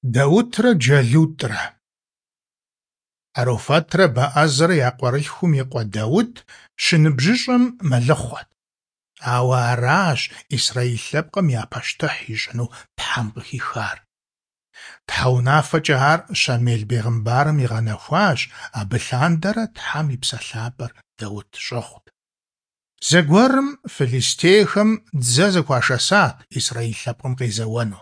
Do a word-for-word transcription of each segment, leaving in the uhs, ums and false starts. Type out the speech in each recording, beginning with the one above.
Даутрэ Джэлутӏрэ. Аруфэтрэ Бэӏэзрэ я къуэрылъхум и къуэ Даут щыныбжьыщӀэм мэлыхъуэт. Ауэ аращ Исраил лъэпкъым я пащтыхь ищӀыну Тхьэм къыхихар. Тхьэ унафэкӀэ ар Щамел бегъымбарым игъэнэхуащ, абы лъандэрэ Тхьэм и Псэ ЛъапӀэр Даут щӀыгъут. Зэгуэрым фылистейхэм дзэ зэхуашэсат Исраил лъэпкъым къезэуэну.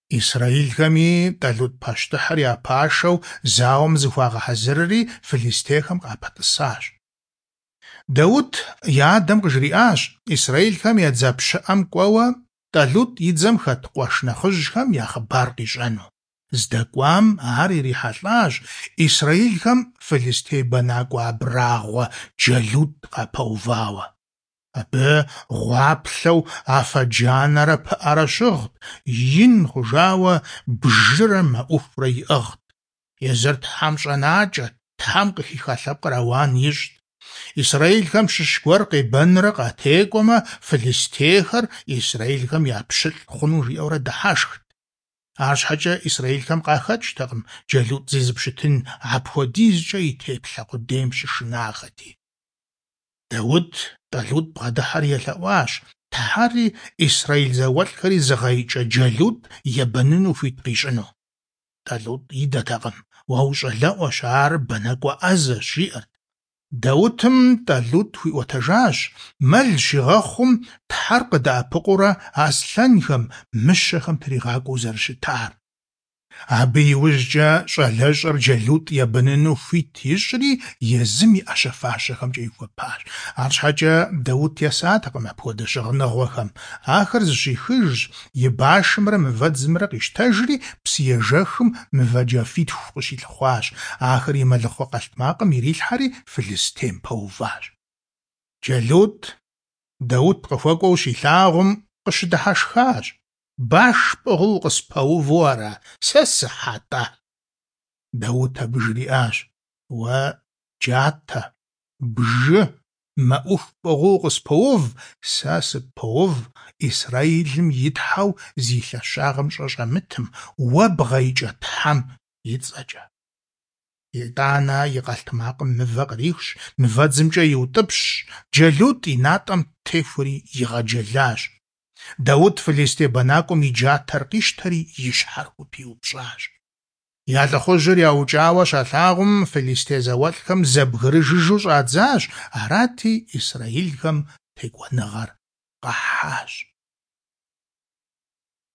Исраилхэми Тӏалутӏ пащтыхьыр я пашэу зауэм зыхуагъэхьэзырри фылистейхэм къапэтӏысащ. Даут и адэм къыжриӏащ исраилхэм я дзэ пщыӏэм кӏуэуэ Тӏалутӏ и дзэм хэт къуэш нэхъыжьхэм я хъыбар къищӏэну. Здэкӏуам ар ирихьэлӏащ исраилхэм фылистей бэнакӏуэ абрагъуэ Джэлутӏ къапэувауэ. Абы гъуаплъэу афэ джанэрэ пыӏэрэ щыгът, ин хъужауэ бжырэ мэӏухурэ иӏыгът. Езыр Тхьэм щӏэнакӏэт, Тхьэм къыхиха лъэпкъыр ауан ищӏт. Исраилхэм щыщ гуэр къебэнрэ къатекӏуэмэ, фылистейхэр исраилхэм я пщылӏ хъуну жиӏэурэ дыхьэшхт. Арщхьэкӏэ исраилхэм къахэкӏтэкъым Джэлутӏ зезыпщытын, апхуэдизкӏэ и теплъэ къудейм щышынахэти. Даут Тӏалутӏ бгъэдыхьэри елъэӏуащ, Тхьэри исраил зауэлӏхэри зыгъэикӏэ Джэлутӏ ебэныну хуит къищӏыну. Тӏалутӏ идэтэкъым: уэ ущӏалэӏуэщ, ар бэнакӏуэ ӏэзэщ, жиӏэрт. Даутым Тӏалутӏ хуиӏуэтэжащ мэл щигъэхъум Тхьэр къыдэӏэпыкъуурэ аслъэнхэм, мыщэхэм тригъакӏуэу зэрыщытар. Абы иужькӏэ щӏалэщӏэр Джэлутӏ ебэныну хуит ищӏри, езым и ӏэщэ-фащэхэмкӏэ ихуэпащ. Арщхьэкӏэ Даут есатэкъым апхуэдэ щыгъыныгъуэхэм. Ахэр зыщихыжщ, и башымрэ мывэдзымрэ къищтэжри, псыежэхым мывэ джафитху къыщилъыхъуащ. Ахэр и мэлыхъуэ къэлътмакъым ирилъхьэри фылистейм пэуващ. Джэлутӏ Даут къыхуэкӏуэу щилъагъум, къыщыдыхьэшхащ. Баш пӏыгъыу укъыспэуву ара? Сэ сыхьэ-тӏэ? Даут абы жриӏащ: уэ джатэ, бжы, мэӏуху пӏыгъыу укъыспоув, сэ сыппоув Исраилым и Тхьэу зи лъэщагъым щӏэ щӏэмытым, уэ бгъэикӏэ Тхьэм и цӏэкӏэ. Итӏанэ и къэлътмакъым мывэ кърихщ, мывэдзымкӏэ иутӏыпщщ, Джэлутӏ и натӏэм техуэри игъэджэлащ. Даут фылистей бэнакӏуэм и джатэр къищтэри и щхьэр хупиупщӏащ. Я лӏыхъужьыр яукӏауэ щалъагъум, фылистей зауэлӏхэм зэбгрыжыжу щӏадзащ, арати исраилхэм текӏуэныгъэр къахьащ.